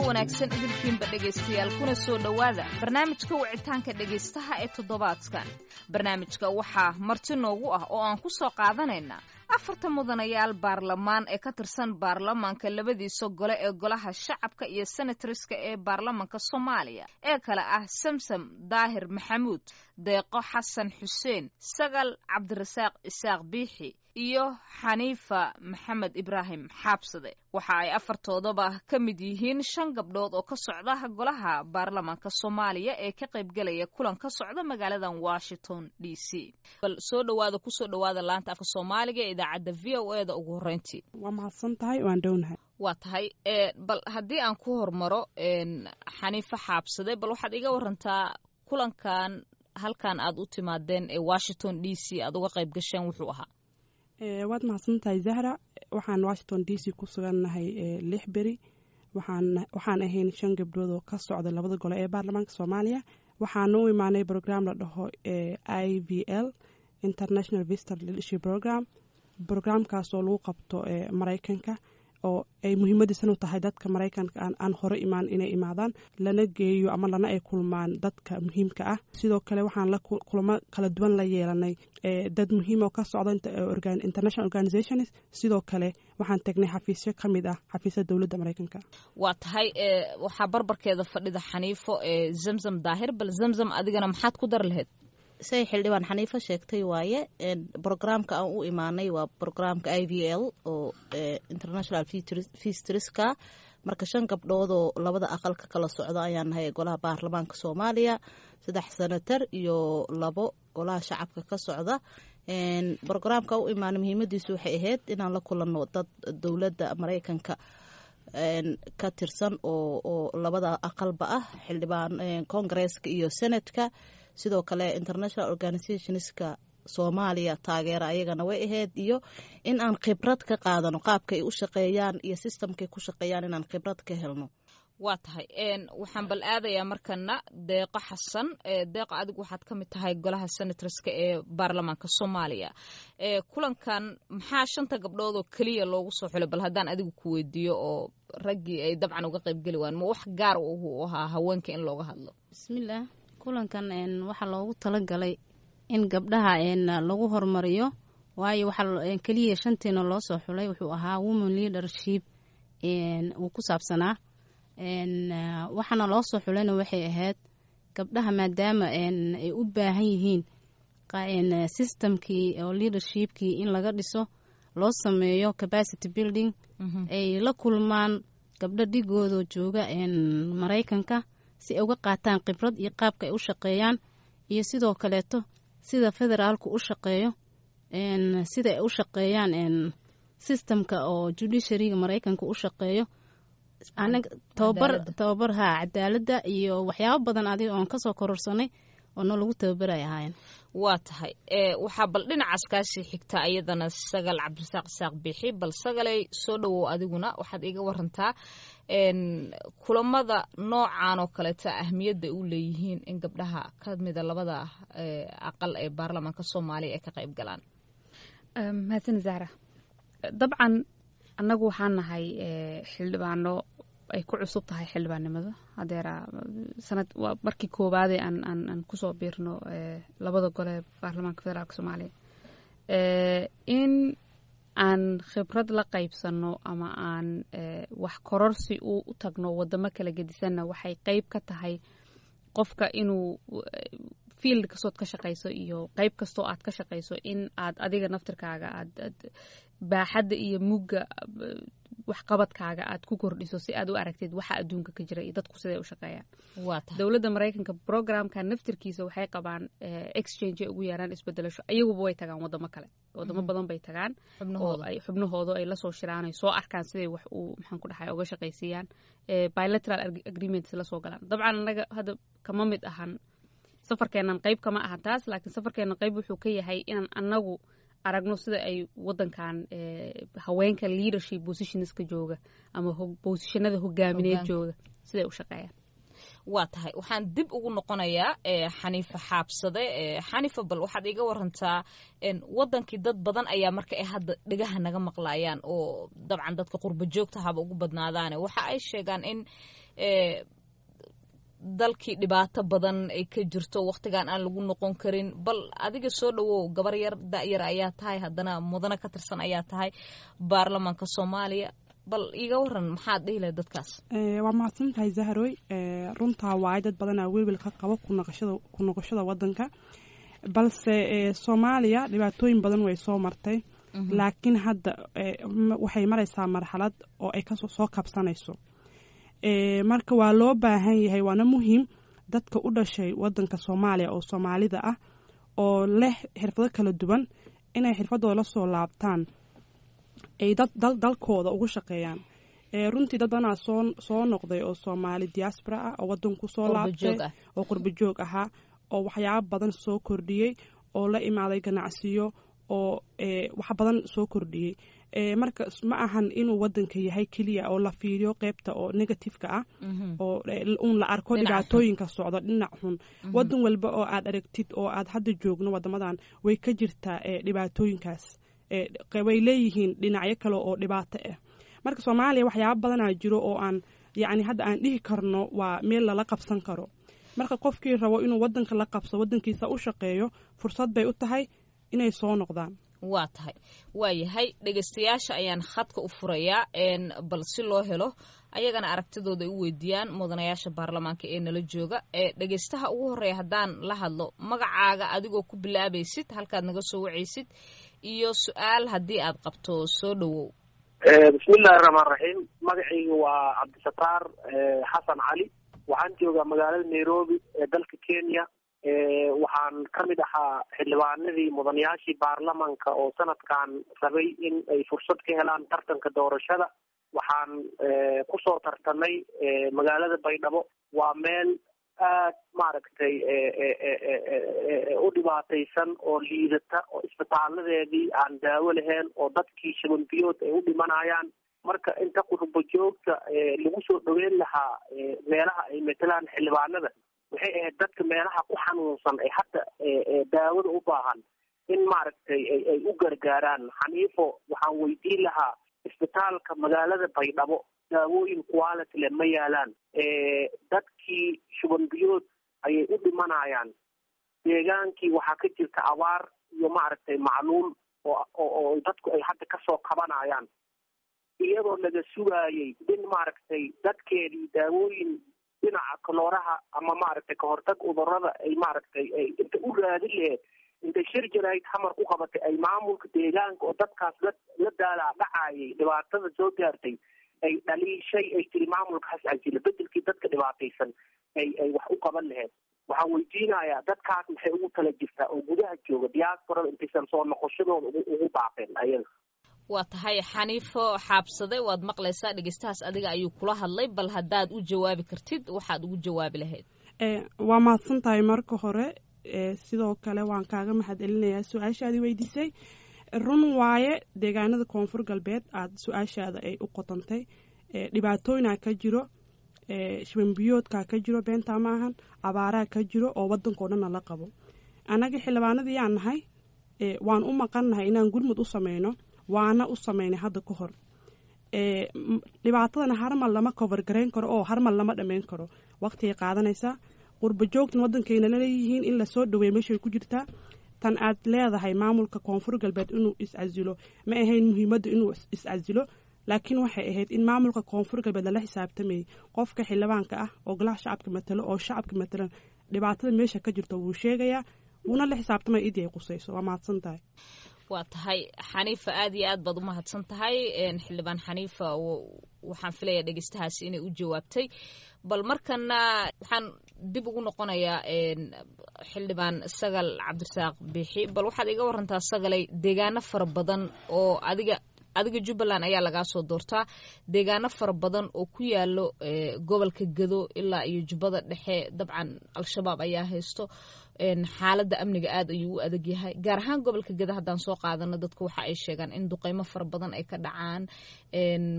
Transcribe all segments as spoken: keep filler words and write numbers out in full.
Wanaagsan idinkiinba dhegaystayaal, kuna soo dhowaada barnaamijka wicitaanka dhegaystaha ee toddobaadkan. Barnaamijka waxaa marti noogu ah oo aan ku soo qaadanaynaa afarta mudanayaal baarlamaan ee ka tirsan baarlamaanka labadiisa gole ee Golaha Shacabka iyo senatoriska ee baarlamaanka Soomaaliya ee kale ah Samsam Daahir Maxamuud, Deeqo Xasan Xuseen, Sagal Cabdirasaaq Isaaq Biixi iyo Xaniifa Maxamed Ibraahim Xaabsade. Waxa ay afartoodaba ka mid yihiin shan gabdhood oo ka socda golaha baarlamaanka Soomaaliya ee ka qaybgelaya kulan ka socda magaaladan Washington D C. Bal soo dhawaada, kusoo dhawaada laanta afka Soomaaliga ee idaacadda V O A da ugu horreyntii. Waa mahadsan tahay, waan dhownahay. Waa tahay. Bal haddii aan ku hormaro Xaniifa Xaabsade, bal waxaad iga warantaa kulankan halkan aad u timaadeen ee Washington D C aad uga qayb gasheen wuxuu ahaa. Waad mahadsan tahay, Zahra. Waxaan Washington D C ku sugannahay lix beri. Waxaan waxaan ahayn shan gabdhood oo ka socda labada gole ee baarlamaanka Soomaaliya. Waxaan u imaanay program la dhaho I V L, International Visitor Leadership Program, programkaas oo lagu qabto Maraykanka oo ay muhiimadiisanu tahay dadka Maraykanka aan hore imaan inay imaadaan, lana geeyo ama lana ay kulmaan dadka muhiimka ah. Sidoo kale waxaan la kulamo kala duwan la yeelanay dad muhiim oo ka socda international organizations. Sidoo kale waxaan tagnay xafiisyo ka mid ah xafiisyada dowladda Maraykanka. Waa tahay. Waxaa barbarkeeda fadhida Xaniifo ee Zamzam Daahir. Bal Zamzam, adigana maxaad ku dar lahayd? Say xildhibaan Xaniifo sheegtay waaye, programka aan u imaanay waa programka I V L oo international visitorska. Marka shan gabdhoodoo labada aqalka kala socda ayaan nahay golaha baarlamaanka Soomaaliya, saddex senatar iyo labo golaha shacabka ka socda. Programka u imaanay muhiimadiisu waxay ahayd inaan la kulanno dad dowladda Maraykanka ka tirsan oo oo labada aqalba ah, xildhibaan Congresska iyo Senatka. Sidoo kale international organizationska Soomaaliya taageera ayagana way ahayd, iyo in aan khibrad ka qaadano qaabka ay u shaqeeyaan iyo systemkay ku shaqeeyaan, inaan khibrad ka helno. Waa tahay. Waxaan bal aadayaa markana Deeqo Xasan. Deeqo, adigu waxaad ka mid tahay golaha senatorska ee baarlamaanka Soomaaliya. Kulankan maxaa shanta gabdhood oo keliya loogu soo xulay? Bal haddaan adigu ku weydiiyo, oo raggii ay dabcan uga qaybgeli waan, ma wax gaar u ahaa haweenka in looga hadlo? Bismillaah. Kulankan waxaa loogu talagalay in gabdhaha lagu horumariyo, waayo waxaa keliya shanteena loo soo xulay wuxuu ahaa women leadership uu ku saabsanaa. Waxaana loo soo xulayna waxay ahayd gabdhaha, maadaama ay u baahan yihiin systemkii oo leadershipkii in laga dhiso, loo sameeyo capacity building, ay la kulmaan gabdho dhigooda jooga Maraykanka si ay uga qaataan khibrad iyo qaabka ay u shaqeeyaan, iyo sidoo kaleeto sida federaalku u shaqeeyo, sida ay u shaqeeyaan systemka oo judiciaryga Maraykanka u shaqeeyo. Tababar tababar ha cadaaladda iyo waxyaabo badan adiga oon kasoo kororsanay oo noo lagu tababaray ahaayeen. Waa tahay. Waxaa bal dhinacaas kaasii xigta ayadana Sagal Cabdirasaaq Isaaq Bixi. Bal Sagalay, soo dhowow, adiguna waxaad iiga warantaa kulamada noocan oo kaleeta ahmiyadda u leeyihiin in gabdhaha ka mida labada aqal ee baarlamaanka Soomaaliya ay ka qayb galaan. Mahadsan, Zahra. Dabcan annagu waxaan nahay xildhibaano ay ku cusub tahay xildhibaannimada hadeera sanad. Waa markii koowaadee aan aan aan kusoo biirno labada gole baarlamaanka federaalka Soomaaliya. In aan khibrad la qaybsano ama aan wax kororsi u tagno wadamo kala gedisanna waxay qeyb ka tahay qofka inuu field kastood ka shaqayso iyo qeyb kastoo aad ka shaqayso in aad adiga naftirkaaga aad baaxadda iyo mugga waxqabadkaaga aad ku kordhiso, si aad u aragtid waxa adduunka ka jira iyo dadku siday u shaqeeyaan. Dowladda Maraykanka programka naftirkiisa waxay qabaan exchange ay ugu yeeraan isbedelasho. Iyaguba way tagaan wadamo kale, wadamo badan bay tagaan oo ay xubnahooda ay lasoo shiraan, ay soo arkaan siday wax uu, maxaan ku dhahay, uga shaqaysiiyaan, bilateral agreements lasoo galaan. Dabcan annaga hadda kama mid ahan safarkeennan, qayb kama ahan taas, laakiin safarkeennan qayb wuxuu ka yahay inaan annagu aragno sida ay wadankan haweenka leadership positionska jooga ama positionada hogaamineed jooga siday u shaqeeyaan. Waa tahay. Waxaan dib ugu noqonayaa Xaniifa Xaabsade. Xaniifa, bal waxaad iiga warantaa wadankii dad badan ayaa marka ay hadda dhegaha naga maqlaayaan, oo dabcan dadka qurba joogta haba ugu badnaadaane, waxa ay sheegaan in Dalkii dhibaato badan ay ka jirto, waqtigan aan lagu noqon karin. Bal adiga soo dhawow, gabar yar, da'yar ayaa tahay, haddana mudane ka tirsan ayaa tahay baarlamaanka Soomaaliya. Bal iiga waran, maxaad dhihi lahayd dadkaas? Waa mahadsan tahay, Zahroy. Runtaa waaye, dad badanaa welwel ka qabo kunoqoshada ku noqoshada wadanka, balse Soomaaliya dhibaatooyin badan way soo martay, laakiin hadda waxay maraysaa marxalad oo ay kasoo soo kabsanayso. Marka waa loo baahan yahay, waana muhiim dadka u dhashay wadanka Soomaaliya oo Soomaalida ah oo leh xirfado kala duwan inay xirfadooda la soo laabtaan, ay dad dalkooda ugu shaqeeyaan. Runtii dad badanaa soo soo noqday oo Soomaali diaspora ah oo wadanku soo laabtay oo qurba joog ahaa oo waxyaabo badan soo kordhiyey oo la imaaday ganacsiyo oo wax badan soo kordhiyey. Marka ma ahan inuu wadanka yahay keliya oo la fiiriyo qeybta oo negativeka ah oo uun la arko dhibaatooyinka socdo, dhinac xun. Wadan walba oo aad aragtid oo aad hadda joogno, wadamadan way ka jirtaa dhibaatooyinkaas, way leeyihiin dhinacyo kale oo dhibaato ah. Marka Soomaaliya waxyaaba badanaa jiro oo aan yacni hadda aan dhihi karno waa meel lala qabsan karo. Marka qofkii rabo inuu wadanka la qabso, wadankiisa u shaqeeyo, fursad bay u tahay inay soo noqdaan. Waa tahay, waa yahay. Dhegeystayaasha ayaan khadka u furayaa, bal si loo helo ayagana aragtidooda ay u weydiiyaan mudanayaasha baarlamaanka ee nala jooga. Dhegeystaha ugu horeeya haddaan la hadlo, magacaaga adigoo ku bilaabaysid, halkaad naga soo wacaysid iyo su-aal haddii aad qabto, soo dhowow. Bismillahi raxmaan raxiim. Magacayga waa Cabdisataar Xasan Cali, waxaan joogaa magaalada Nairobi ee dalka Kenya. Waxaan ka mid ahaa xildhibaanadii mudanayaashii baarlamanka oo sanadkan rabay in ay fursad ka helaan tartanka doorashada. Waxaan kusoo tartamay magaalada Baydhabo. Waa meel aad, maaragtay, u dhibaataysan oo liidata oo isbitaaladeedii aan daawo lahayn oo dadkii shuban biyood ay u dhimanayaan. Marka inta qurbo joogta lagu soo dhaweyn lahaa meelaha ay matalaan xildhibaanada, waxay ahayd dadka meelaha ku xanuunsan ee hadda daawada u baahan in, maaragtay, ay u gargaaraan. Xaniifo waxaan weydiin lahaa, isbitaalka magaalada Baydhabo daawooyin quality leh ma yaalaan, dadkii shuban biyood ayay u dhimanayaan, deegaankii waxaa ka jirta abaar iyo, maaragtay, macluul oo oo dadku ay hadda kasoo kabanayaan, iyadoo laga sugaayay in, maaragtay, dadkeedii daawooyin dhinaca kalooraha ama, maaragtay, kahortag cudurada ay, maaragtay, ay inta u raadin laheed, intay shir jarayd Xamar ku qabatay, ay maamulka deegaanka oo dadkaas la la daalaa dhacayay dhibaatada soo gaartay ay dhaliishay, ay tiri maamulka has casilo, bedelkii dadka dhibaataysan ay ay wax u qaban laheed. Waxaan weydiinayaa, dadkaas maxay ugu tala jirtaa oo gudaha jooga diasporada intaysan soo noqoshadooda ugu ugu baaqeen ayaga? Waa tahay. Xaniifo Xaabsade, waad maqlaysaa, dhegeystahaas adiga ayuu kula hadlay. Bal haddaad u jawaabi kartid, waxaad ugu jawaabi lahayd? Waa mahadsan tahay marka hore. Sidoo kale waan kaaga mahad celinayaa su-aashaadii weydiisay. Run waaye, deegaanada Koonfur Galbeed aada su-aashaada ay u qotantay dhibaatooyinaa ka jiro, shubanbiyoodkaa ka jiro, beentaa ma ahan, abaaraa ka jiro oo wadankao dhanna la qabo. Annaga xildhibaanadii yaan nahay, waan u maqannahay inaan gurmud u sameyno, waana u sameynay hadda ka hor. Dhibaatadana harmal lama cover garayn karo oo harmal lama dhammayn karo, waqtigay qaadanaysaa. Qurba joogtan waddankayna laleeyihiin in lasoo dhaweeyo meeshay ku jirtaa. Tan aad leedahay maamulka Koonfur Galbeed inuu iscasilo, ma ahayn muhiimadda inuu iscasilo, laakiin waxay ahayd in maamulka Koonfur Galbeed lala xisaabtamayay. Qofka xildhibaanka ah oo golaha shacabka matalo oo shacabka matalan, dhibaatada meesha ka jirto wuu sheegayaa, wuuna la xisaabtamaya idii ay qusayso. Waa mahadsan tahay. Waa tahay, Xaniifa, aad iyo aad baad u mahadsan tahay. Xildhibaan Xaniifa, waxaan filayaa dhegeystahaasi inay u jawaabtay. Bal markana waxaan dib ugu noqonayaa xildhibaan Sagal Cabdirasaaq Bixi. Bal waxaad iga warantaa, Sagalay, deegaano fara badan oo adiga adiga Jubbaland ayaa lagaa soo doortaa, deegaano fara badan oo ku yaalo gobolka Gado ilaa iyo Jubbada Dhexe dabcan Al-Shabaab ayaa haysto, xaaladda amniga aad ayuu u adag yahay. Gaar ahaan gobolka Gado haddaan soo qaadano, dadku waxa ay sheegaan in duqeymo fara badan ay ka dhacaan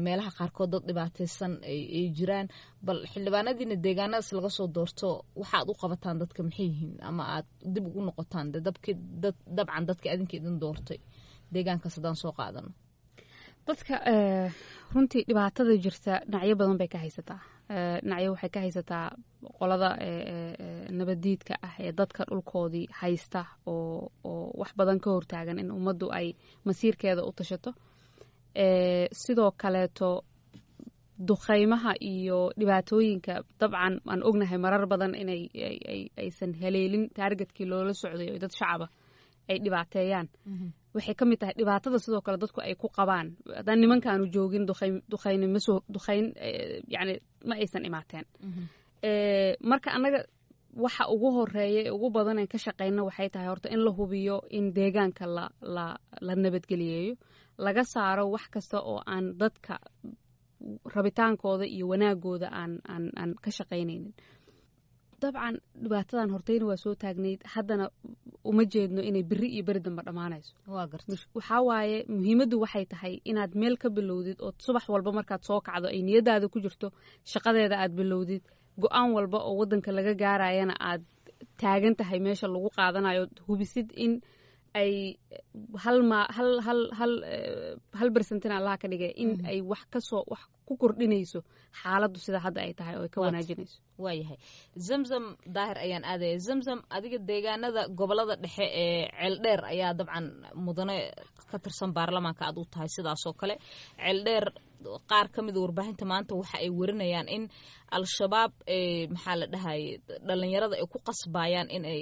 meelaha qaarkood, dad dhibaataysan ay jiraan. Bal xildhibaanadiina deegaanadaas laga soo doorto, waxaad u qabataan dadka maxay yihiin, ama aad dib ugu noqotaan dabki dabcan dadka adinka idin doortay deegaankaas haddaan soo qaadano? Dadka runtii dhibaatada jirta dhinacyo badan bay ka haysataa. Dhinacyo waxay ka haysataa qolada nabadiidka ah ee dadka dhulkoodii haysta oo oo wax badan ka hortaagan in ummaddu ay masiirkeeda u tashato. Sidoo kaleeto dukhaymaha iyo dhibaatooyinka dabcan aan ognahay marar badan inay aysan haleelin targetkii loola socday oo dad shacaba ay dhibaateeyaan, waxay ka mid tahay dhibaatada sidoo kale dadku ay ku qabaan. Haddaan nimankaanu joogin, duqayn duqayni masoo duqayn, yani ma aysan imaateen. Marka annaga waxa ugu horeeya ee ugu badan aan ka shaqeyno waxay tahay horta in la hubiyo in deegaanka la la la nabadgeliyeeyo, laga saaro wax kasta oo aan dadka rabitaankooda iyo wanaagooda aan aan aan ka shaqaynaynin. Dabcan dhibaatadan horteyna waa soo taagnayd, haddana uma jeedno inay beri iyo beri dambe dhammaanayso. Waxaa waaye muhiimaddu waxay tahay inaad meel ka bilowdid oo subax walba markaad soo kacdo ay niyadaada ku jirto shaqadeeda aad bilowdid, go-aan walba oo waddanka laga gaarayana aad taagan tahay meesha lagu qaadanayo, hubisid in ay hal ma hal hal hal hal percentina Allaha ka dhigay in ay wax kasoo wax ku kordhinayso xaaladdu sida hadda ay tahay oo ay ka wanaajinayso. Waayahay, Zamzam Daahir ayaan aadaya. Zamzam, adiga deegaanada gobolada dhexe ee Ceeldheer ayaa dabcan mudane ka tirsan baarlamaanka aad u tahay. Sidaasoo kale Ceeldheer qaar ka mida warbaahinta maanta waxa ay warinayaan in Al-Shabaab, maxaa la dhahaye, dhalinyarada ay ku qasbayaan in ay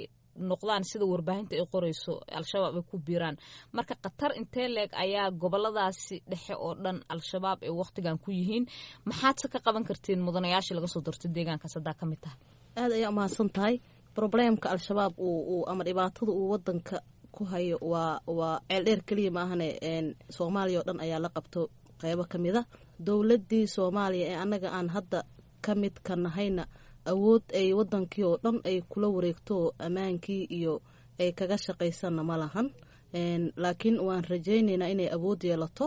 noqdaan, sida warbaahinta ay qorayso, Al-Shabaab ay ku biiraan. Marka khatar intee leeg ayaa goboladaasi dhexe oo dhan Al-Shabaab ay wakhtigan ku yihiin? Maxaad se ka qaban kartiin mudanayaashii laga soo doortay deegaankaas haddaa ka mid tahay? Aada ayaa umahadsan tahay. Problemka Al-Shabaab uu ama dhibaatada uu wadanka ku hayo waa waa Ceeldheer keliya maahane, Soomaaliya oo dhan ayaa la qabto qeybo ka mid a. Dowladdii Soomaaliya ee annaga aan hadda ka mid ka nahayna awood ay wadankii oo dhan ay kula wareegto ammaankii iyo ay kaga shaqaysanna ma lahan, laakiin waan rajaynaynaa inay awood yeelato.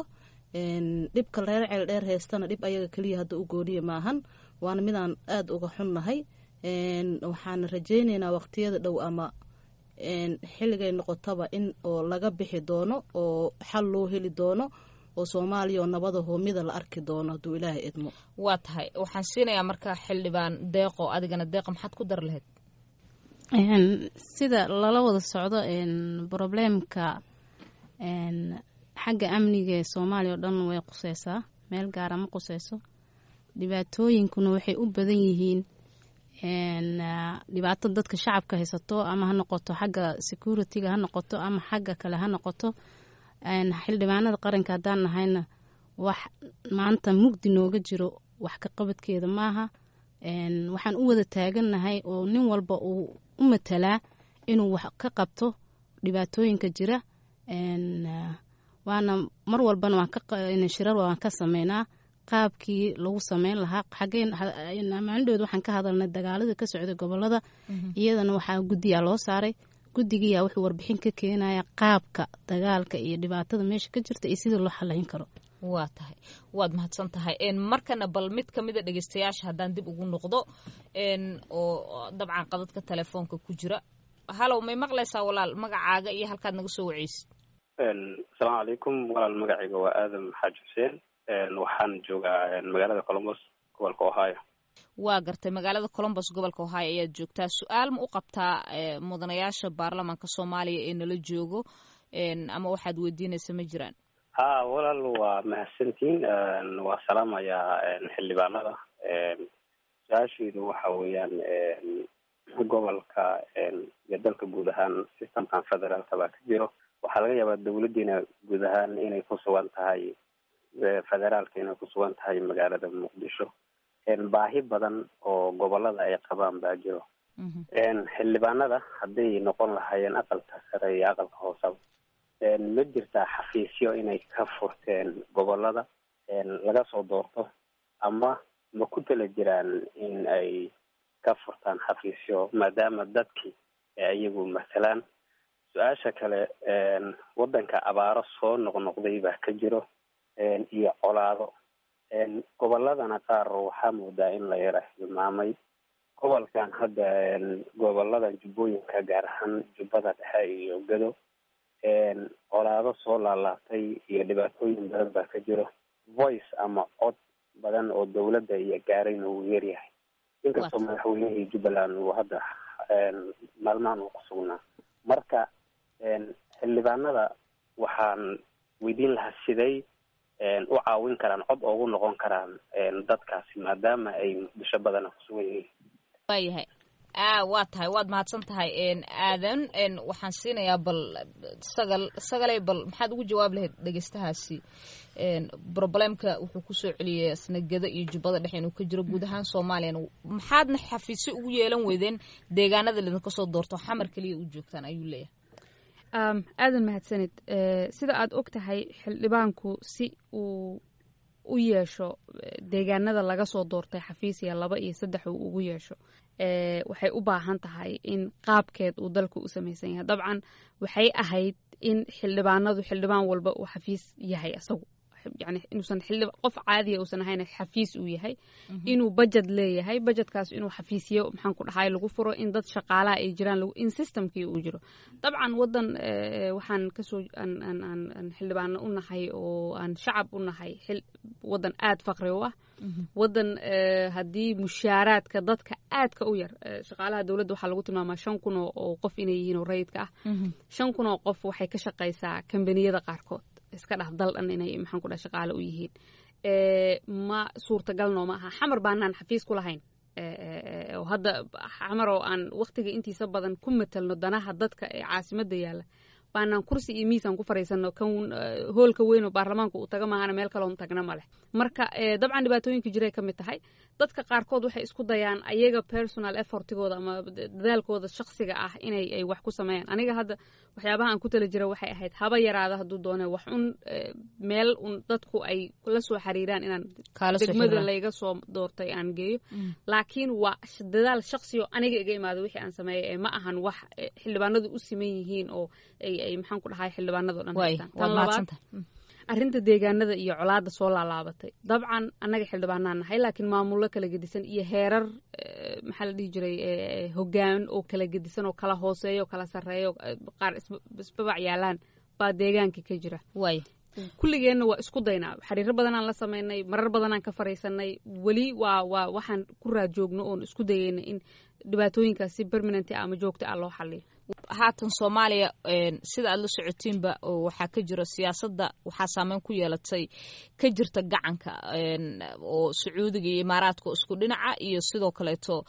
Dhibka reer Ceeldheer haystana dhib ayaga keliya hadda u gooniya maahan, waana midaan aada uga xunnahay. Waxaan rajaynaynaa waqtiyada dhow ama xilligay noqotaba in oo laga bixi doono oo xal loo heli doono oo Soomaaliya oo nabada hoomida la arki doono hadduu Ilaahay idmo. Waa tahay, waxaan siinayaa marka xildhibaan Deeqo. Adigana Deeqo, maxaad ku dar lahayd? Sida lala wada socdo, problemka xagga amniga ee Soomaaliya oo dhan way quseysaa, meel gaara ma quseyso. Dhibaatooyinkuna waxay u badan yihiin dhibaato dadka shacabka haysato, ama ha noqoto xagga securityga ha noqoto ama xagga kale ha noqoto. Xildhibaanada qaranka haddaan nahayna, wax maanta mugdi nooga jiro wax ka qabadkeeda maaha. Waxaan u wada taagannahay oo nin walba uu u matalaa inuu wax ka qabto dhibaatooyinka jira, waana mar walbana waan shirar waan ka sameynaa qaabkii lagu sameyn lahaa. Xaggeen maalindhood waxaan ka hadalnay dagaalada ka socday gobolada, iyadana waxaa guddiyaa loo saaray. Guddigiyaa wuxuu warbixin ka keenaya qaabka dagaalka iyo dhibaatada meesha ka jirta iyo sida loo xalayn karo. Waa tahay, waad mahadsan tahay. Markana bal mid ka mida dhegeystayaasha haddaan dib ugu noqdo oo dabcan qadadka telefoonka ku jira. Halow, may maqlaysaa walaal? Magacaaga iyo halkaad naga soo waceysid. Asalaamu calaykum walaal, magacayga waa Aadam Xaaji Xuseen, waxaan joogaa magaalada Columbus, gobolka Ohio. Waa gartay, magaalada Columbus, gobolka Ohio ayaad joogtaa. Su-aal ma u qabtaa mudanayaasha baarlamaanka Soomaaliya ee nala joogo ama waxaad weydiinaysa ma jiraan? Ha walaal, waa mahadsantiin, waa salaamayaa xildhibaanada. Su-aasheedu waxa weeyaan, gobolka iyo dalka guud ahaan systemkan federaalka baa ka jiro. Waxaa laga yaabaa dawladdiina guud ahaan inay ku sugan tahay federaalka, inay ku sugan tahay magaalada Muqdisho. Baahi badan oo gobolada ay qabaan baa jiro. Xildhibaanada hadday noqon lahaayeen aqalka sare iyo aqalka hoosaba, ma jirtaa xafiisyo inay ka furteen gobolada laga soo doorto ama ma ku tala jiraan in ay ka furtaan xafiisyo, maadaama dadkii iyagu masalaan? Su-aasha kale, waddanka abaaro soo noqnoqday baa ka jiro iyo colaado, goboladana qaar waxaa moodaa in la yara hilmaamay. Gobolkan hadda, goboladan Jubbooyinka, gaar ahaan Jubbada Dhexe iyo Gado, colaado soo laalaabtay iyo dhibaatooyin badan baa ka jiro. Voice ama cod Badan oo dowladda iyo gaarayna wuu yaryahay, inkastoo madaxweynihii Jubbaland uu hadda maalmahan uu ku sugnaa. Marka xildhibaanada waxaan weydiin lahaa, siday u caawin karaan, cod oogu noqon karaan dadkaasi, maadaama ay Muqdisho badana kusugan yihiin? Waayahay, a waa tahay, waad mahadsan tahay, Aadan. Waxaan siinayaa bal Sagal. Sagalay, bal maxaad ugu jawaab lahayd dhegeystahaasi? Problemka wuxuu kusoo celiyay isna Gedo iyo Jubbada Dhexe inuu ka jiro guud ahaan Soomaaliyana. Maxaadna xafiisyo ugu yeelan weydeen deegaanada lidinka soo doorto, Xamar keliya u joogtaan, ayuu leeyahay. Aadan, mahadsanid. Sida aad og tahay, xildhibaanku si uu u yeesho deegaanada laga soo doortay xafiisya laba iyo saddex uu ugu yeesho, waxay u baahan tahay in qaabkeed uu dalku u samaysan yahay. Dabcan waxay ahayd in xildhibaanadu, xildhibaan walba uu xafiis yahay asagu, yani inuusan xildhib qof caadiya uusan ahayn, xafiis uu yahay, inuu budget leeyahay, budgetkaas inuu xafiisyo, maxaan ku dhahay, lagu furo, in dad shaqaalaha ay jiraan, in systemkii uu jiro. Dabcan wadan waxaan kasoo aan aan aan aan xildhibaano u nahay oo aan shacab u nahay xil wadan aad faqri u ah, wadan haddii mushaaraadka dadka aadka u yar, shaqaalaha dowladda waxaa lagu tilmaamaa shan kun oo qof inay yihiin oo rayidka ah. Shan kun oo qof waxay ka shaqaysaa kambaniyada qaarkood, iska dhaf dal dhan inay, maxaan ku dhaha, shaqaale u yihiin. Ma suurtagal nooma aha. Xamar baanaan xafiis ku lahayn, oo hadda Xamar oo aan waqtiga intiisa badan ku matelno danaha dadka ee caasimadda yaalla baanaan kursi iyo miisaan ku fariisano. Kan hoolka weyn oo baarlamaanka uu taga maahana, meel kaloon tagna ma leh. Marka dabcan dhibaatooyinka jiray ka mid tahay. Dadka qaarkood waxay isku dayaan ayaga personal effortigooda ama dadaalkooda shakhsiga ah inay ay wax ku sameeyaan. Aniga hadda waxyaabaha aan ku tala jira waxay ahayd, haba yaraada hadduu doone, wax un meel un dadku ay la soo xiriiraan inaan degmada layga soo doortay aan geeyo, laakiin waa dadaal shakhsi oo aniga iga imaada wixii aan sameeyay ee ma ahan wax xildhibaanadu u siman yihiin oo ay ay maxaan ku dhahay, xildhibaanado dhan haystaan. Tan labaad, arrinta deegaanada iyo colaadda soo laalaabatay, dabcan annaga xildhibaanaan nahay, laakiin maamullo kala gedisan iyo heerar, maxaa la dhihi jiray, hoggaan oo kala gedisan oo kala hooseeya oo kala sarreeya, qaar isbabac yaalaan baa deegaanka ka jira. Waay kulligeenna waa isku daynaa, xiriiro badanaan la sameynay, marar badanaan ka fariisanay. Weli waa waa waxaan ku raad joogno oon isku dayayna in dhibaatooyinkaas si permanent ama joogto ah loo xaliyo. Haatan Soomaaliya, sida aad la socotiinba, waxaa ka jira siyaasadda, waxaa saameyn ku yeelatay ka jirta gacanka oo Sacuudiga iyo Imaaraadka oo isku dhinaca, iyo sidoo kaleeto,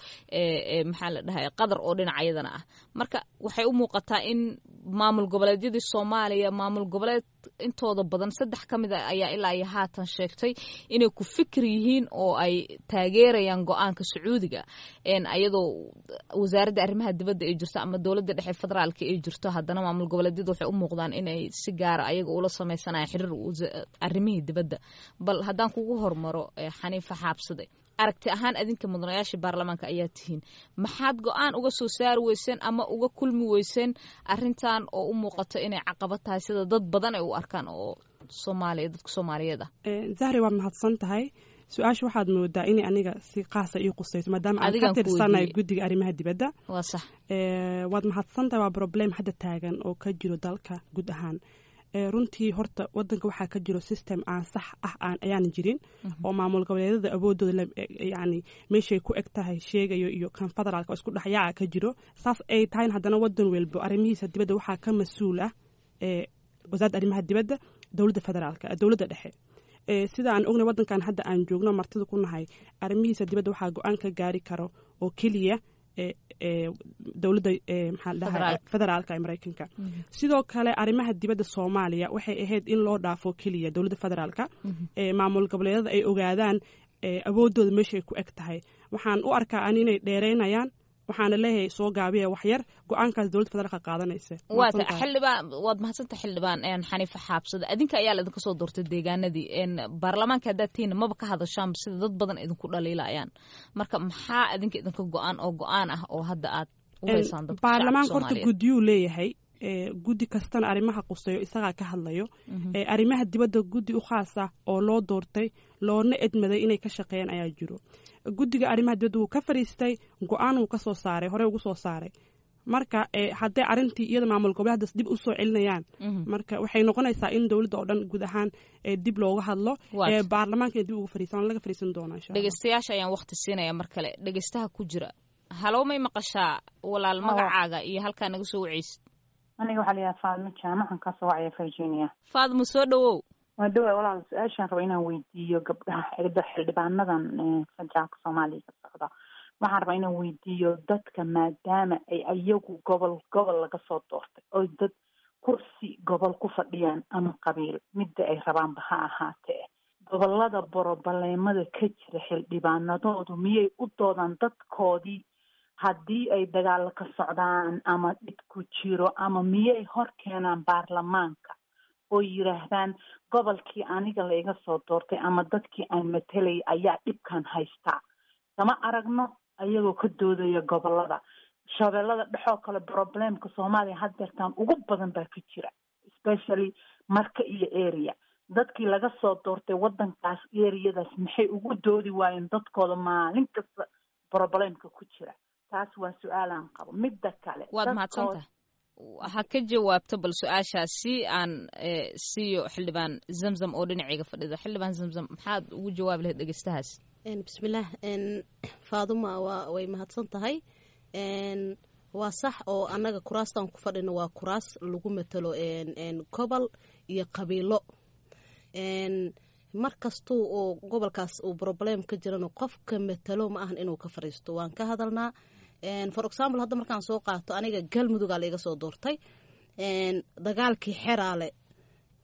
maxaa la dhahay, Qatar oo dhinaca iyadana ah. Marka waxay u muuqataa in maamul goboleedyadii Soomaaliya, maamul goboleed intooda badan, saddex ka mid a ayaa ilaa iyo haatan sheegtay inay ku fikir yihiin oo ay taageerayaan go-aanka Sacuudiga, ayadoo wasaaradda arrimaha dibadda ay jirto ama dowladda dhexe federaalka ay jirto. Haddana maamul goboleedyadu waxay u muuqdaan inay si gaara ayaga ula sameysanayaan xiriir arrimihii dibadda. Bal haddaan kugu hormaro, Xaniifa Xaabsade, aragti ahaan adinka mudanayaasha baarlamaanka ayaa tihiin, maxaad go-aan uga soo saari weyseen ama uga kulmi weyseen arrintan oo u muuqato inay caqabad tahay, sida dad badan ay u arkaan oo Soomaaliya, dadka Soomaaliyeed ah? Zahri, waad mahadsan tahay. Su-aasha waxaad moodaa inay aniga si qaasa ii qusayso, maadaama aan ka tirsanayo guddiga arrimaha dibadda. Waa sax. Waad mahadsan tahay. Waa problem hadda taagan oo ka jiro dalka guud ahaan. Runtii horta wadanka waxaa ka jiro system aan sax ah aan ayaan jirin, oo maamul goboleedyada awoodooda yani meeshay ku eg tahay sheegayo iyo kan federaalka oo isku dhexyaaca ka jiro. Saas ay tahayn, haddana wadan walbo arrimihiisa dibadda waxaa ka mas-uul ah wasaaradda arrimaha dibadda dowladda federaalka, dowladda dhexe. Sida aan ognay, wadankan hadda aan joogno martida ku nahay, arrimihiisa dibadda waxaa go-aan ka gaari karo oo keliya dowladda, maxaa dhahay, federaalka ee Maraykanka. Sidoo kale arrimaha dibadda Soomaaliya waxay ahayd in loo dhaafo keliya dowladda federaalka, maamul goboleedyada ay ogaadaan awoodooda meeshay ku eg tahay. Waxaan u arkaa an inay dheereynayaan, waxaana leeyahay soo gaabiya waxyar, go-aankaas dowladda federaalka qaadanaysa. Waata xildhibaan, waad mahadsanta xildhibaan Xaniifa Xaabsada. Adinka ayaa la idinka soo doortay deegaanadii, baarlamaanka haddaad tihiin maba ka hadashaan sida dad badan idinku dhaliilayaan. Marka maxaa adinka idinka go-aan oo go-aan ah oo hadda aad u haysaan dadka? Baarlamaanka horta guddiyuu leeyahay, guddi kastana arrimaha quseeyo isagaa ka hadlayo. Arrimaha dibadda guddi u khaasa oo loo doortay loona edmaday inay ka shaqeeyaan ayaa jiro. Guddiga arrimaha dibadda wuu ka fariistay, go-aan wuu ka soo saaray, horey ugu soo saaray. Marka hadday arrintii iyada maamul goboleedaas dib usoo celinayaan, marka waxay noqonaysaa in dowladda oo dhan guud ahaan dib looga hadlo, baarlamaanka dib uga fariisan, laga fariisan doona insha Allah. Dhegeystayaasha ayaan waqti siinaya mar kale. Dhegeystaha ku jira, halow, may maqashaa walaal? Magacaaga iyo halkaa naga soo waceysid. Aniga waxaa la yidhaha Faadmo Jaamacan, kasoo wacaya Virginia. Faadmo, soo dhawow. Waa dhawa walaal. Su-aashaan raba inaan weydiiyo gabdhaha xildhibaanadan federaalka Soomaaliya ka socda, waxaan rabaa inaan weydiiyo dadka, maadaama ay ayagu gobol gobol laga soo doortay oy dad kursi gobol ku fadhiyaan ama qabiil midda ay rabaanba ha ahaatee, gobolada boroboleemada ka jira xildhibaanadoodu miyay u doodaan dadkoodii haddii ay dagaalo ka socdaan ama dhib ku jiro, ama miyay hor keenaan baarlamaanka oo yidhaahdaan gobolkii aniga la iga soo doortay ama dadkii aan matelay ayaa dhibkan haystaa? Kama aragno ayagoo ka doodaya gobolada Shabeellada Dhexoo kale. Problemka Soomaaliya haddeertaan ugu badan baa ka jira, especially Marka iyo area. Dadkii laga soo doortay waddankaas, areadaas, maxay ugu doodi waayeen dadkooda maalin kasta problemka ku jira? Taas waa su-aalaan qabo. Midda kale, Waad mahadsantahay. Ha ka jawaabto bal su-aashaasi aan siiyo xildhibaan Zamzam oo dhinacayga fadhida. Xildhibaan Zamzam, maxaad ugu jawaabi lahayd dhegeystahaas? Bismillaah. Faaduma waa way mahadsan tahay. Waa sax oo annaga kuraastaan ku fadhino waa kuraas lagu matalo gobol iyo qabiilo. Mar kastuu oo gobolkaas uu problem ka jirano, qofka matalo ma ahan inuu ka fariisto, waan ka hadalnaa. For example, hadda markaan soo qaato aniga Galmudugaa laiga soo doortay. Dagaalkii Xeraale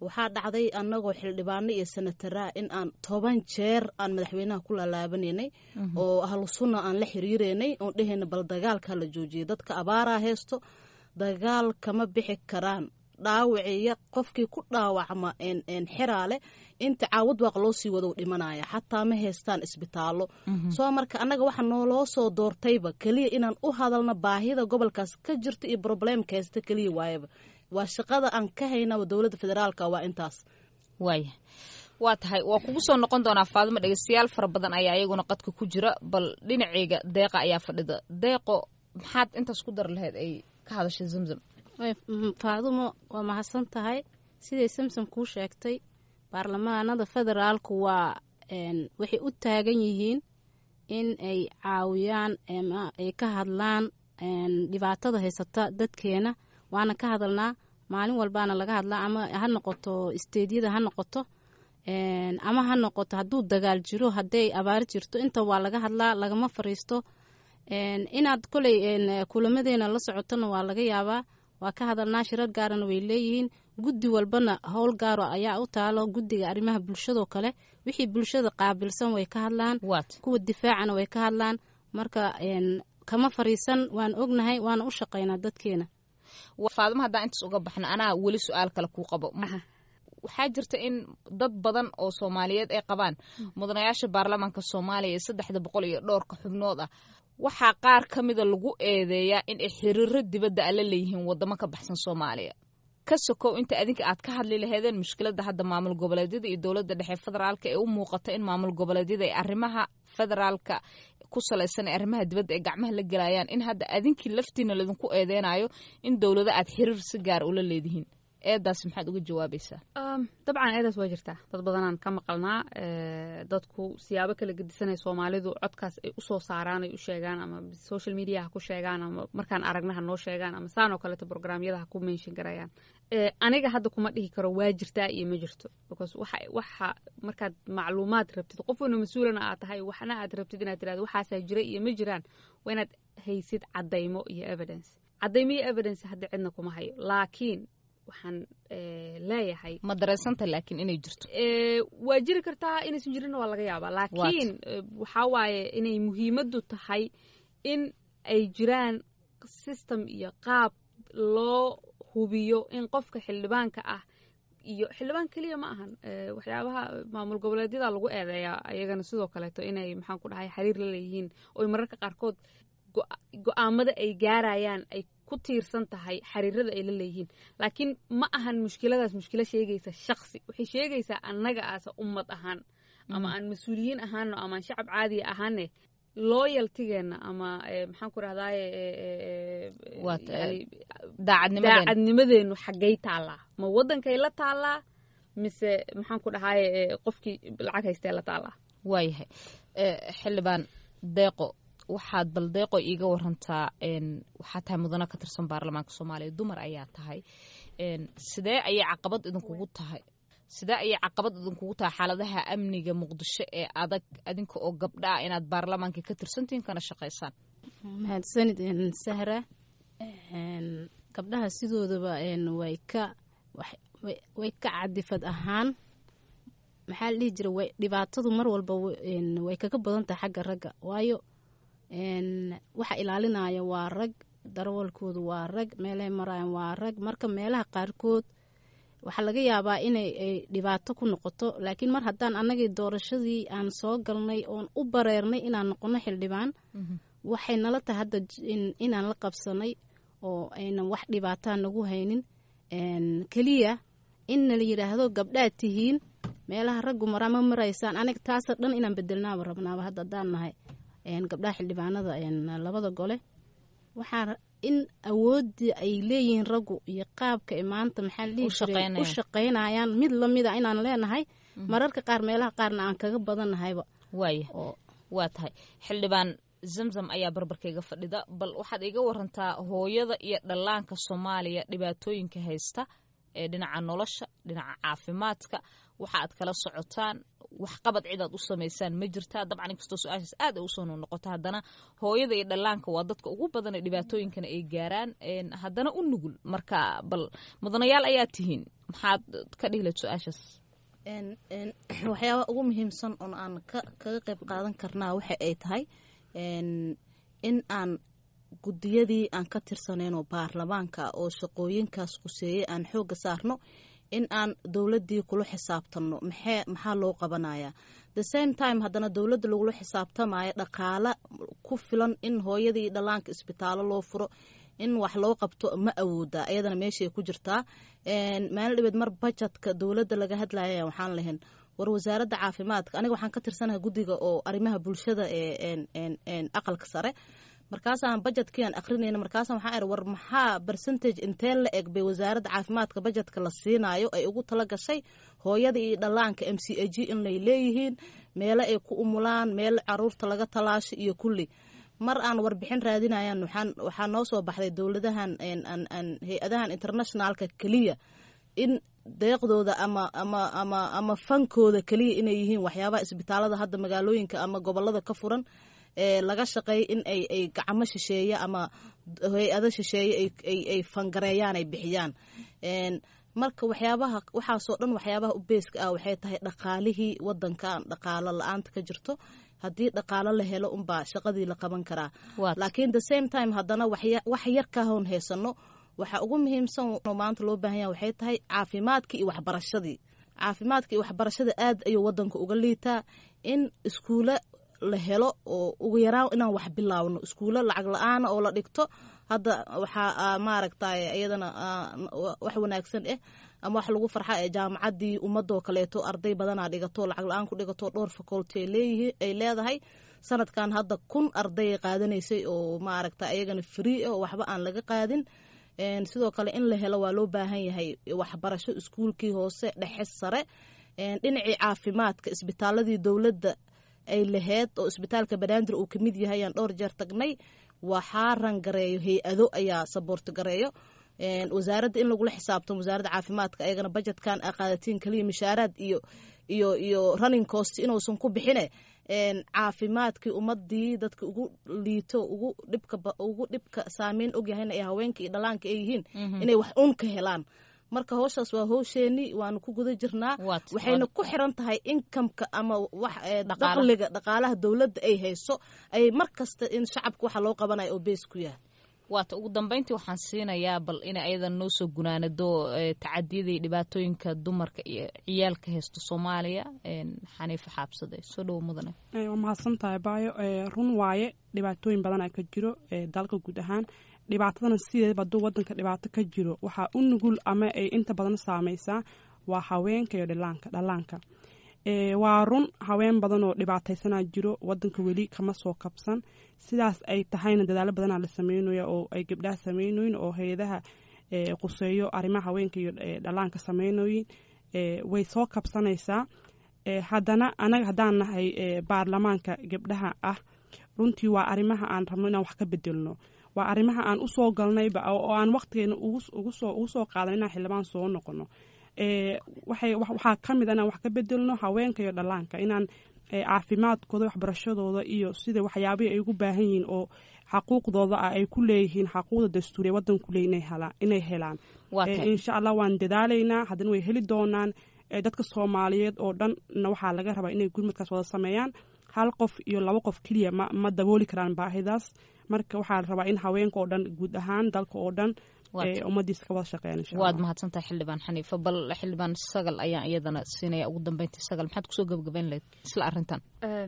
waxaa dhacday annagoo xildhibaano iyo senataraa in aan toban jeer aan madaxweynaha ku laalaabaneynay oo Ahlu Sunna aan la xiriireynay oon dhehayna bal dagaalkaa la joojiyay, dadka abaaraa haysto, dagaal kama bixi karaan, dhaawiciya qofkii ku dhaawacma Xeraale inta Caabudwaaq loo sii wado dhimanaya, xataa ma haystaan isbitaallo. Soo marka annaga waxa nooloo soo doortayba keliya inaan u hadalno baahida gobolkaas ka jirta iyo problemka haysta keliya waayaba. Waa shaqada aan ka haynaba dowladda federaalka, waa intaas. Waaya, waa tahay, waa kugu soo noqon doonaa Faadimo. Dhegeystayaal fara badan ayaa iyaguna qadka ku jira. Bal dhinaceyga Deeqa ayaa fadhida. Deeqo, maxaad intaas ku dar lahayd ay ka hadashay Zamzam? Faadumo waa mahadsan tahay. Siday Samsam kuu sheegtay, baarlamaanada federaalku waa waxay u taagan yihiin in ay caawiyaan ama ay ka hadlaan dhibaatada haysata dadkeena, waana ka hadalnaa maalin walbaana laga hadlaa, ama ha noqoto stateyada ha noqoto, ama ha noqoto hadduu dagaal jiro, hadday abaar jirto, inta waa laga hadlaa, lagama fariisto. Inaad koley kulamadeena la socotona waa laga yaabaa. Waa ka hadalnaa, shirar gaarana way leeyihiin, guddi walbana howl gaaro ayaa u taalo. Guddiga arrimaha bulshadoo kale, wixii bulshada qaabilsan way ka hadlaan, kuwa difaacana way ka hadlaan. Marka kama fariisan, waan ognahay, waana u shaqaynaa dadkeena. Faadimo, haddaan intaas uga baxno, anaa weli su-aal kale kuu qabo. Waxaa jirta in dad badan oo Soomaaliyeed ay qabaan mudanayaasha baarlamaanka Soomaaliya ee saddexda boqol iyo dhowrka xubnood ah, waxaa qaar ka mida lagu eedeeyaa in ay xiriiro dibadda ala leeyihiin wadamo ka baxsan Soomaaliya. Ka sokow inta adinka aad ka hadli laheedeen mushkiladda hadda maamul goboleedyada iyo dowladda dhexe federaalka ee u muuqata in maamul goboleedyada ay arrimaha federaalka ku salaysan ee arrimaha dibadda ay gacmaha la gelayaan, in hadda adinkii laftiina laydinku eedeynayo in dowlado aad xiriir si gaar ula leedihiin, eedaas maxaad uga jawaabaysaa? Dabcan eedaas waa jirtaa, dad badanaan ka maqalnaa. Dadku siyaabo kala gedisanay Soomaalidu codkaas ay usoo saaraan, ay u sheegaan, ama social media ha ku sheegaan, ama markaan aragna ha noo sheegaan, ama saan oo kaleeto programyada ha ku mention garayaan. Aniga hadda kuma dhihi karo waa jirtaa iyo ma jirto, because waxa waxa markaad macluumaad rabtid, qof wana mas-uulana aad tahay, waxna aad rabtid inaad tirahdo waxaasaa jira iyo ma jiraan, waa inaad haysid caddaymo iyo evidence. Caddaymo iyo evidence hadda cidna kuma hayo, laakiin waxaan leeyahay Ma dareensanta laakiin inay jirto? Waa jiri kartaa, inaysan jirinna waa laga yaabaa, laakiin waxaa waaye inay muhiimaddu tahay in ay jiraan system iyo qaab loo hubiyo in qofka xildhibaanka ah, iyo xildhibaan keliya ma ahan, waxyaabaha maamul goboleedyada lagu eedeeyaa ayagana sidoo kaleeto inay, maxaan ku dhahay, xiriir la leeyihiin oy mararka qaarkood go-aamada ay gaarayaan ay ku tiirsan tahay xiriirada ay la leeyihiin. Laakiin ma ahan mushkiladaas mushkilo sheegaysa shaksi, waxay sheegaysaa annaga aasa ummad ahaan, ama aan mas-uuliyiin ahaano ama aan shacab caadiya ahaane. Loyalty-geena ama maxaan ku rahdaye, daacadnimadeenu xaggay taallaa? Ma waddankay la taallaa mise, maxaan ku dhahaye, qofkii lacag haystee la taallaa? Waayahay, Xildhibaan Deeqo, waxaad bal Deeqo iiga warantaa, waxaa tahay mudano ka tirsan baarlamaanka Soomaaliya, dumar ayaa tahay. Sidee ayay caqabad idinkugu tahay sidee ayay caqabad idinkugu tahay xaaladaha amniga Muqdisho ee adag, adinka oo gabdha ah, inaad baarlamaanka ka tirsantihiin kana shaqaysaan? Mahadsanid, Sahra. Gabdhaha sidoodaba way ka way ka cadifad ahaan, maxaa la dhihi jira, way dhibaatadu mar walba way kaga badan tahay xagga ragga, waayo waxa ilaalinaya waa rag, darawalkoodu waa rag, meelahay maraayan waa rag. Marka meelaha qaarkood waxaa laga yaabaa inay dhibaato ku noqoto, laakiin mar haddaan annagii doorashadii aan soo galnay oon u bareernay inaan noqono xildhibaan, waxay nala tahay hadda inaan la qabsanay oo aynan wax dhibaataa nagu haynin. Keliya in nala yidhaahdo gabdhaad tihiin, meelaha raggu maraa ma maraysaan, aniga taasa dhan inaan bedelnaaba rabnaaba. Hadda haddaan nahay gabdhaha xildhibaanada labada gole, waxaa in awoodii ay leeyihiin raggu iyo qaabka ay maanta, maxaa la dhihi jiray, u shaqaynayaan mid lamida inaan leenahay, mararka qaar meelaha qaarna aan kaga badannahayba. Waaya, waa tahay. Xildhibaan Zamzam ayaa barbarkayga fadhida. Bal waxaad iga warantaa hooyada iyo dhallaanka Soomaaliya dhibaatooyinka haysta ee dhinaca nolosha, dhinaca caafimaadka, waxa aad kala socotaan, waxqabad cidaad u samaysaan ma jirtaa? Dabcan, inkastoo su-aashaas aad ay usoo noqnoqoto, haddana hooyada iyo dhallaanka waa dadka ugu badan ee dhibaatooyinkana ay gaaraan, haddana u nugul. Marka bal mudanayaal ayaa tihiin, maxaad ka dhihi lahayd su-aashaas? Waxyaabaha ugu muhiimsan oon aan kaga qayb qaadan karnaa waxa ay tahay in aan guddiyadii aan ka tirsaneynoo baarlamaanka oo shaqooyinkaas quseeyey aan xoogga saarno, in aan dowladdii kula xisaabtanno maxee maxaa loo qabanayaa. The same time haddana dowladda lagula xisaabtamayo dhaqaale ku filan in hooyadii dhallaanka isbitaallo loo furo, in wax loo qabto, ma awoodaa? Ayadana meeshay ku jirtaa. Maalin dhibeed mar budgetka dowladda laga hadlaya waxaan lahayn, war wasaaradda caafimaadka, aniga waxaan ka tirsanahay guddiga oo arrimaha bulshada ee Aqalka Sare, markaasaan budgetkii aan akrinayna, markaasaan waxaan iri, war maxaa percentage intee la eg bay wasaaradda caafimaadka budgetka la siinaayo ay ugu tala gashay hooyada iyo dhallaanka, M C H in lay leeyihiin, meelo ay ku umulaan, meel caruurta laga talaasho iyo kulli? Mar aan warbixin raadinayan waxaan waxaa noo soo baxday dowladahan, hay-adahan internationalka keliya in deeqdooda ama ama ama ama fankooda keliya inay yihiin waxyaabaha isbitaalada hadda magaalooyinka ama gobolada ka furan ee laga shaqeeya in ay ay gacmo shisheeye ama hay-ado shisheeye ay ay fangareeyaan, ay bixiyaan. Marka waxyaabaha waxaasoo dhan, waxyaabaha u beeska ah waxay tahay dhaqaalihii wadankan, dhaqaalo la-aanta ka jirto. Haddii dhaqaalo la helo unbaa shaqadii la qaban karaa, laakiin the same time haddana wax yar ka hoon haysano, waxa ugu muhiimsan oo maanta loo baahan yahay waxay tahay caafimaadkii iyo waxbarashadii. Caafimaadka iyo waxbarashada aad ayuu wadanka uga liitaa. In iskuulo la helo oo ugu yaraan inaan wax bilaawno, iskuulo lacag la-aana oo la dhigto. Hadda waxaa maaragtay iyadana wax wanaagsan ah ama wax lagu farxa ee jaamacaddii ummadoo kaleeto arday badanaa dhigato, lacag la-aan ku dhigato, dhowr faculty ay leeyihiin, ay leedahay. Sanadkan hadda kun arday qaadanaysay oo maaragta ayagana free ah oo waxba aan laga qaadin. Sidoo kale in la helo waa loo baahan yahay waxbarasho iskuulkii hoose, dhexe, sare. Dhinacii caafimaadka, isbitaaladii dowladda ay laheyd oo isbitaalka Banaadir uu kamid yahay ayaan dhowr jeer tagnay, waxaa rangareeyo hay-ado ayaa support gareeyo. Wasaaradda in lagula xisaabtamo, wasaaradda caafimaadka, ayagana budgetkan aa qaadatiin kaliya mishaaraad iyo iyo iyo running cost inuusan ku bixine, caafimaadkii ummadii, dadka ugu liito, ugu dhibka ugu dhibka saameyn ogyahayna ee haweenka iyo dhalaanka ay yihiin, inay wax uun ka helaan. Marka howshaas waa howsheeni, waanu ku guda jirnaa. Waxayna ku xiran tahay incomeka ama wax dakhliga dhaqaalaha dowladda ay hayso ay mar kasta in shacabka waxa loo qabanayo oo base ku yahay. Waata, ugu dambeyntii waxaan siinayaa bal inay ayadan noo soo gunaanado tacadiyada iyo dhibaatooyinka dumarka iyo ciyaalka haysto Soomaaliya, Xaniifa Xaabsade. Soo dhowo, mudane. Waa mahadsan tahay, baayo. Run waaye, dhibaatooyin badan aa ka jiro dalka guud ahaan. Dhibaatadana sideedaba hadduu wadanka dhibaato ka jiro, waxaa u nugul ama ay inta badan saameysaa waa haweenka iyo dhilaanka dhallaanka. Waa run, haween badan oo dhibaataysanaa jiro, wadanka weli kama soo kabsan. Sidaas ay tahayna dadaalo badanaa la sameynaya oo ay gabdhaha sameynoyin oo hay-adaha quseeyo arrimaha haweenka iyo dhallaanka sameynoyin. Way soo kabsanaysaa. Haddana anaga haddaan nahay baarlamaanka gabdhaha ah, runtii waa arrimaha aan rabno inaan wax ka bedelno, waa arrimaha aan usoo galnayba oo aan waqtigeena ugusoo ugu soo qaadan inaan xildhibaan soo noqono. Waxay waxaa ka mid a inaan wax ka bedelno haweenka iyo dhallaanka, inaan caafimaadkooda, waxbarashadooda iyo sida waxyaabihii ay ugu baahan yihiin oo xaquuqdooda ah ay ku leeyihiin, xaquuqda dastuuriya waddanku leey inay helaan. Insha Allah waan dadaalaynaa, haddana way heli doonaan. Dadka Soomaaliyeed oo dhanna waxaa laga rabaa inay gurmadkaas wada sameeyaan. Hal qof iyo laba qof keliya ma ma dabooli karaan baahidaas. Marka waxaa la rabaa in haweenka oo dhan, guud ahaan dalka oo dhan, ummadiisa ka wada shaqeeyaan, insha Allah. Waad mahadsantahay, xildhibaan Xaniifa. Bal xildhibaan Sagal ayaan iyadana siinaya ugu dambeyntii. Sagal, maxaad kusoo gabagabayn lahayd isla arrintan?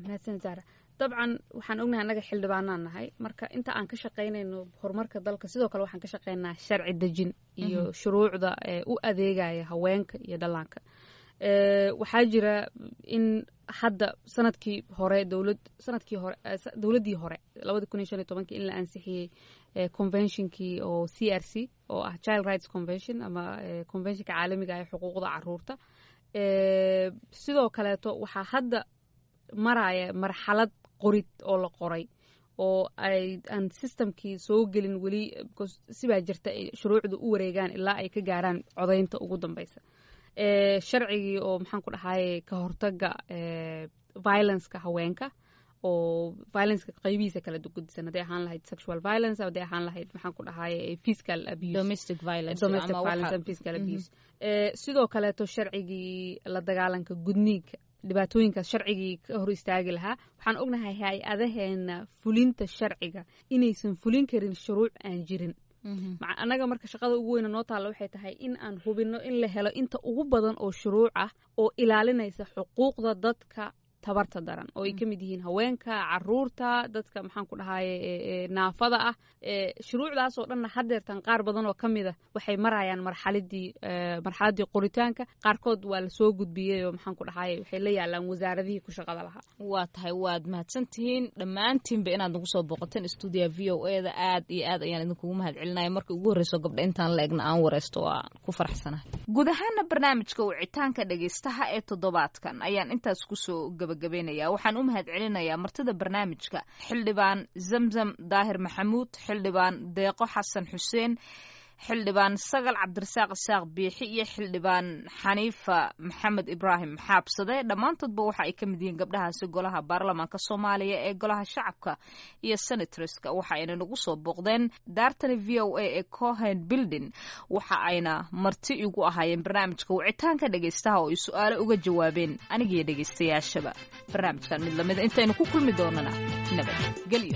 Mahadsan, Zahra. Dabcan waxaan ognahay annaga xildhibaanaan nahay, marka inta aan ka shaqaynayno horumarka dalka, sidoo kale waxaan ka shaqaynaa sharci dejin iyo shuruucda u adeegaya haweenka iyo dhallaanka. Waxaa jira in hadda sanadkii hore dowlad sanadkii hore, dowladdii hore, labadi kun iyo shan iyo tobankii, in la ansixiyey conventionkii oo C R C oo ah Child Rights Convention ama conventionka caalamiga ee xuquuqda caruurta. Sidoo kaleeto waxaa hadda maraya marxalad qorid oo la qoray oo ay aan systemkii soo gelin weli, because sibaa jirta ay shuruucda u wareegaan ilaa ay ka gaaraan codaynta ugu dambeysa. Sharcigii oo, maxaan ku dhahaye, ka hortaga violenceka haweenka oo violenceka qaybihiisa kala gudisan, hadday ahaan lahayd sexual violence, hadday ahaan lahayd, maxaan ku dhahaye, physical abuse, domestic violence, domestic violence and physical abuse. Sidoo kaleeto sharcigii la dagaalanka gudniinka, dhibaatooyinkaas sharcigii ka hor istaagi lahaa. Waxaan ognahay hay-adaheena fulinta sharciga inaysan fulin karin shuruuc aan jirin. Annaga marka shaqada ugu weyna noo taalla waxay tahay in aan hubino in la helo inta ugu badan oo shuruuc ah oo ilaalinaysa xuquuqda dadka tabarta daran, oo ay ka mid yihiin haweenka, caruurta, dadka, maxaan ku dhahaye, naafada ah. Shuruucdaas oo dhanna haddeertan qaar badan oo ka mid a waxay marayaan marxaladii marxaladdii qoritaanka, qaarkood waa lasoo gudbiyey oo, maxaan ku dhahaye, waxay la yaalaan wasaaradihii ku shaqada lahaa. Waa tahay, waad mahadsantihiin dhammaantiinba inaad nagu soo booqateen stuudiya V O A da. Aad iyo aad ayaan idinkugu mahad celinaya. Markii ugu horreyso gabdha intaan la egna aan wareysto, waa ku faraxsanahay. Guud ahaana barnaamijka wicitaanka dhegeystaha ee toddobaadkan ayaan intaas kusoo gabagabeynaya. Waxaan u mahad celinayaa martida barnaamijka, xildhibaan Zamzam Daahir Maxamuud, xildhibaan Deeqo Xasan Xuseen, xildhibaan Sagal Cabdirasaaq Isaaq Biixi iyo xildhibaan Xaniifa Maxamed Ibraahim Xaabsade. Dhammaantoodba waxa ay ka mid yihiin gabdhahaasi golaha baarlamaanka Soomaaliya ee golaha shacabka iyo senatorska. Waxa ayna nagu soo booqdeen daartani V O A ee Cohen Building, waxa ayna marti igu ahaayeen barnaamijka wicitaanka dhegeystaha oo ay su-aalo uga jawaabeen anigiyo dhegeystayaashaba. Barnaamijkan mid lamida intaynu ku kulmi doonana, nabad gelyo.